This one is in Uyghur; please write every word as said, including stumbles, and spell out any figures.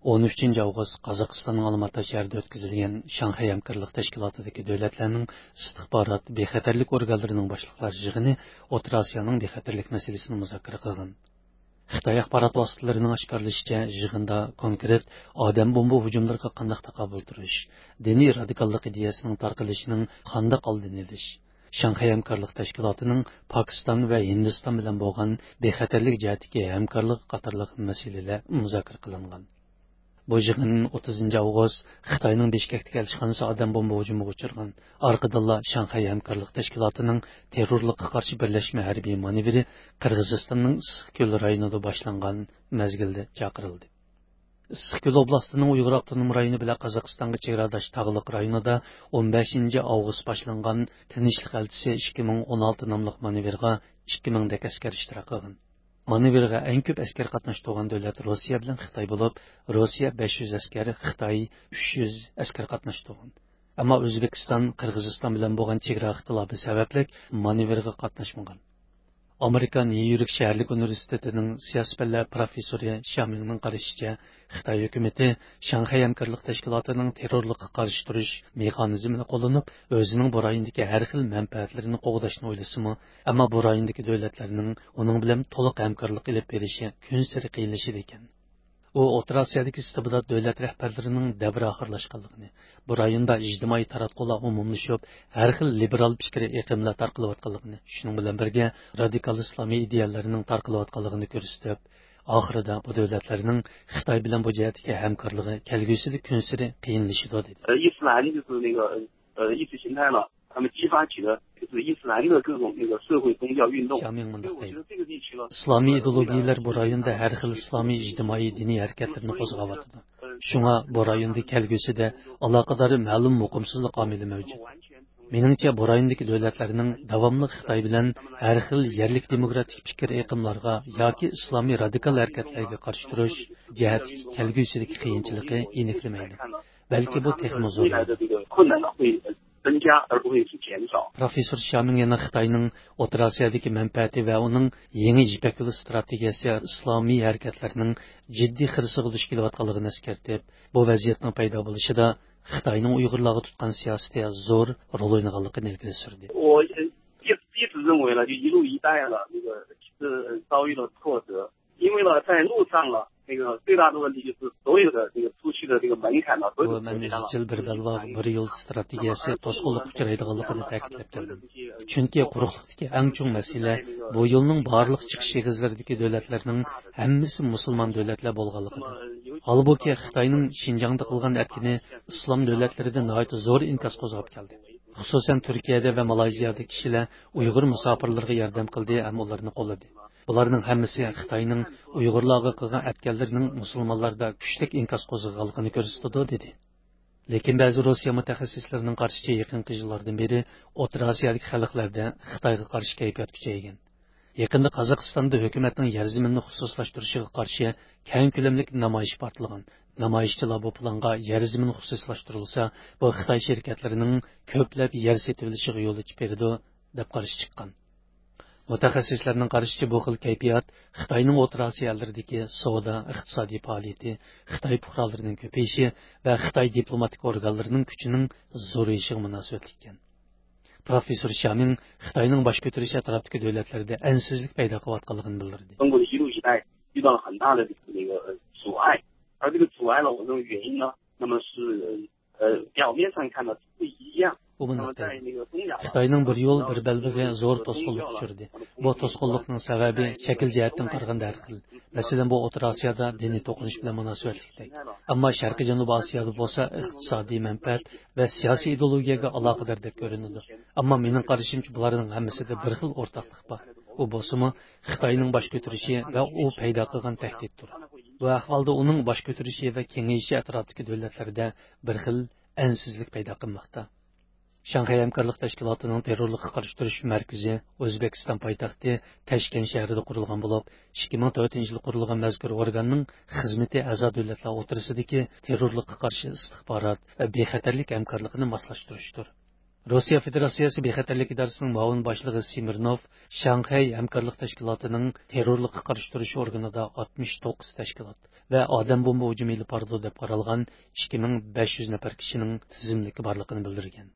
ئون ئۈچىنچى ئاۋغۇست قازاقىستاننىڭ ئالماتا شەھىرىدە ئۆتكۈزۈلگەن شاڭخەي ھەمكارلىق تەشكىلاتىدىكى دۆلەتلەرنىڭ ئىستىخبارات بىخەتەرلىك ئورگانلىرىنىڭ باشلىقلار يىغىنى ئوتتۇرا ئاسىيانىڭ بىخەتەرلىك مەسىلىسىنى مۇزاكىرە قىلغان. خىتاي ئاخبارات ۋاسىتىلىرىنىڭ ئاشكارىلىشىچە، يىغىندا كونكرېت ئادەم بومبا ھۇجۇملىرىغا قانداق تاقابىل تۇرۇش، دىنىي رادىكاللىق ئىدىيەسىنىڭ تارقىلىشىنىڭ قانداق ئالدىنى ئېلىش، شاڭخەي ھەمكارلىق تەشكىلاتىنىڭ پاكىستان ۋە ھىندىستان بىلەن بولغان بىخەتەرلىك جەھەتتىكى ھەمكارلىقى قاتارلىق مەسىلىلەر مۇزاكىرە قىلىنغان. بۇ يىغىن ئوتتۇزىنچى ئاۋغۇست خىتاينىڭ بىشكەكتىكى ئەلچىخانىسى ئادەم بومبا ھۇجۇمىغا ئۇچرىغان، ئارقىدىنلا شاڭخەي ھەمكارلىق تەشكىلاتىنىڭ تېررورلۇققا قارشى بىرلەشمە ھەربىي مانېۋىرى قىرغىزىستاننىڭ ئىسسىقكۆل رايونىدا باشلانغان مەزگىلدە چاقىرىلدى. ئىسسىقكۆل ئوبلاستىنىڭ ئۇيغۇر ئاپتونوم رايونى بىلەن قازاقىستانغا چېگراداش تاغلىق رايونىدا ئون بەشىنچى ئاۋغۇست باشلانغان تىنچلىق ئەلچىسى ئىككى مىڭ ئون ئالتە ناملىق مانېۋىرغا ئىككى مىڭدەك ئەسكەر ئىشتىراك قىلغان. مانېۋىرغا ئەڭ كۆپ ئەسكەر قاتناشتۇرغان دۆلەت روسىيە بىلەن خىتاي بولۇپ، روسىيە بەش يۈز ئەسكەر، خىتاي ئۈچ يۈز ئەسكەر قاتناشتۇرغان. ئەمما ئۆزبېكىستان قىرغىزىستان بىلەن بولغان چېگرا ئىختىلاپى سەۋەبلىك مانېۋىرغا قاتناشمىغان. ئامېرىكا نيۇ يورك شەھەرلىك ئۇنىۋېرسىتېتىنىڭ سىياسىي پەنلەر پروفېسسورى شيامىڭنىڭ قارىشىچە، خىتاي ھۆكۈمىتى شاڭخەي ھەمكارلىق تەشكىلاتىنىڭ تېررورلۇققا قارشى تۇرۇش مېخانىزمىنى قوللىنىپ، ئۆزىنىڭ بۇ رايوندىكى ھەر خىل مەنپەئەتلىرىنى قوغداشنى ئويلىسىمۇ، ئەمما بۇ رايوندىكى دۆلەتلەرنىڭ ئۇنىڭ بىلەن تولۇق ھەمكارلىق ئېلىپ بېرىشى كۈنسېرى قىيىنلىشىدىكەن. ئۇ ئوتتۇرا ئاسىيادىكى ئىستىبدات دۆلەت رەھبەرلىرىنىڭ دەۋرى ئاخىرلاشقانلىقىنى، بۇ رايوندا ئىجتىمائىي تاراتقۇلار ئومۇملىشىپ، ھەر خىل لىبېرال پىكىر ئېقىملار تارقىلىۋاتقانلىقىنى، شۇنىڭ بىلەن بىرگە رادىكال ئىسلامىي ئىدىيەلەرنىڭ تارقىلىۋاتقانلىقىنى كۆرسىتىپ، ئاخىرىدا بۇ دۆلەتلەرنىڭ خىتاي بىلەن بۇ جەھەتتىكى ھەمكارلىقى كەلگۈسىدە كۈنسېرى قىيىنلىشىدۇ، دېدى. 伊斯兰就是那个呃意识形态了，他们激发起的就是伊斯兰的各种那个社会宗教运动。 شيامىڭ مۇنداق دەيدۇ، ئىسلامىي ئىدېئولوگىيەلەر بۇ رايوندا ھەر خىل ئىسلامىي ئىجتىمائىي دىنىي ھەرىكەتلىرىنى قوزغاۋاتىدۇ. شۇڭا بۇ رايوندا كەلگۈسىدە ئالاقىدار مەلۇم مۇقىمسىزلىق ئامىلى مەۋجۇت. مېنىڭچە، بۇ رايوندىكى دۆلەتلەرنىڭ داۋاملىق خىتاي بىلەن ھەر خىل يەرلىك دېموكراتىك پىكىر ئېقىملارغا ياكى ئىسلامىي رادىكال ھەرىكەتلەرگە قارشى تۇرۇش جەھەتتىكى كەلگۈسىدىكى قىيىنچىلىقى يېنىكلىمەيدۇ، بەلكى بۇ تېخىمۇ زور. 增加而不会去减少。 پروفېسسور شيامىڭ يەنە خىتاينىڭ ئوتتۇرا ئاسىيادىكى مەنپەئەتى ۋە ئۇنىڭ يېڭى يىپەك يولى ئىستراتېگىيەسى ئىسلامىي ھەرىكەتلەرنىڭ جىددىي خىرىسىغا دۇچ كېلىۋاتقانلىقىنى ئەسكەرتىپ، بۇ ۋەزىيەتنىڭ پەيدا بولۇشىدا خىتاينىڭ ئۇيغۇرلارغا تۇتقان سىياسىتى زور رول ئوينىغانلىقىنى ئىلگىرى سۈردى. 我一一直认为呢，就一路一带了，那个是遭遇了挫折，因为呢，在路上了，那个最大的问题就是所有的这个出去的这个门槛呢，所有的 بۇ مەن ئىزچىل بىر بەلباغ، بىر يول ئىستراتېگىيەسى توسقۇنلۇققا ئۇچرايدىغانلىقىنى تەكىتلەپ كەلدىم. چۈنكى قۇرۇقلۇقتىكى ئەڭ چوڭ مەسىلە بۇ يولنىڭ بارلىق چىقىش ئېغىزلىرىدىكى دۆلەتلەرنىڭ ھەممىسى مۇسۇلمان دۆلەتلەر بولغانلىقىدا. ھالبۇكى، خىتاينىڭ شىنجاڭدا قىلغان ئەتكىنى ئىسلام دۆلەتلىرىدە ناھايىتى زور ئىنكاس قوزغاپ كەلدى. خۇسۇسەن تۈركىيەدە ۋە مالايزىيەدە كىشىلەر ئۇيغۇر مۇساپىرلىرىغا ياردەم قىلدى ھەم ئۇلارنى قوللىدى. بۇلارنىڭ ھەممىسى خىتاينىڭ ئۇيغۇرلارغا قىلغان ئەتكەنلىرىنىڭ مۇسۇلمانلاردا كۈچلۈك ئىنكاس قوزغىغانلىقىنى كۆرسىتىدۇ، دېدى. لېكىن بەزى روسىيە مۇتەخەسسىسلىرىنىڭ قارىشىچە، يېقىنقى يىللاردىن بېرى ئوتتۇرا ئاسىيادىكى خەلقلەردە خىتايغا قارشى كەيپىيات كۈچەيگەن. يېقىندا قازاقىستاندا ھۆكۈمەتنىڭ يەر زېمىننى خۇسۇسلاشتۇرۇشىغا قارشى كەڭ كۆلەملىك نامايىش پارتلىغان. نامايىشچىلار بۇ پىلانغا يەر زېمىن خۇسۇسلاشتۇرۇلسا، بۇ خىتاي شىركەتلىرىنىڭ كۆپلەپ يەر سېتىۋېلىشىغا يول ئېچىپ بېرىدۇ، دەپ قارشى چىققان. مۇتەخەسسىسلەرنىڭ قارىشىچە، بۇ خىل كەيپىيات خىتاينىڭ ئوتتۇرا ئاسىيا ئەللىرىدىكى سودا، ئىقتىسادىي پائالىيىتى، خىتاي پۇقرالىرىنىڭ كۆپىيىشى ۋە خىتاي دىپلوماتىك ئورگانلىرىنىڭ كۈچىنىڭ زورىيىشىغا مۇناسىۋەتلىككەن. پروفېسسور شيامىڭ خىتاينىڭ باش كۆتۈرۈشى ئەتراپتىكى دۆلەتلەردە ئەنسىزلىك پەيدا قىلىۋاتقانلىقىنى بىلدۈردى. 中国的一路一带遇到了很大的这个阻碍，而这个阻碍呢，我认为原因呢，那么是呃表面上看呢是不一样。 ئۇ مۇنداق دەيدۇ، خىتاينىڭ بىر يول، بىر بەلبېغى زور توسقۇنلۇققا ئۇچرىدى. بۇ توسقۇنلۇقنىڭ سەۋەبى شەكىل جەھەتتىن قارىغاندا ھەر خىل. مەسىلەن، بۇ ئوتتۇرا ئاسىيادا دىنىي توقۇنۇش بىلەن مۇناسىۋەتلىكتەك. ئەمما شەرقىي جەنۇبىي ئاسىيادا بولسا ئىقتىسادىي مەنپەئەت ۋە سىياسىي ئىدېئولوگىيەگە ئالاقىداردەك كۆرۈنىدۇ. ئەمما مېنىڭ قارىشىمچە، بۇلارنىڭ ھەممىسىدە بىر خىل ئورتاقلىق بار. ئۇ بولسىمۇ خىتاينىڭ باش كۆتۈرۈشى ۋە ئۇ پەيدا قىلغان تەھدىتتۇر. بۇ ئەھۋالدا ئۇنىڭ باش كۆتۈرۈشى ۋە كېڭىيىشى ئەتراپتىكى دۆلەتلەردە بىر خىل ئەنسىزلىك پەيدا قىلماقتا. شاڭخەي ھەمكارلىق تەشكىلاتىنىڭ تېررورلۇققا قارشى تۇرۇش مەركىزى ئۆزبېكىستان پايتەختى تەشكەنت شەھىرىدە قۇرۇلغان بولۇپ، ئىككى مىڭ تۆتىنچى يىلى قۇرۇلغان مەزكۇر ئورگاننىڭ خىزمىتى ئەزا دۆلەتلەر ئوتتۇرىسىدىكى تېررورلۇققا قارشى ئىستىخبارات ۋە بىخەتەرلىك ھەمكارلىقىنى ماسلاشتۇرۇشتۇر. روسىيە فېدېراتسىيەسى بىخەتەرلىك ئىدارىسىنىڭ مۇئاۋىن باشلىقى سىمىرنوف شاڭخەي ھەمكارلىق تەشكىلاتىنىڭ تېررورلۇققا قارشى تۇرۇش ئورگىنىدا ئاتمىش توققۇز تەشكىلات ۋە ئادەم بومبا ھۇجۇمى ئېلىپ بارىدۇ دەپ قارالغان ئىككى مىڭ بەش يۈز نەپەر كىشىنىڭ تىزىملىكى بارلىقىنى بىلدۈرگەن.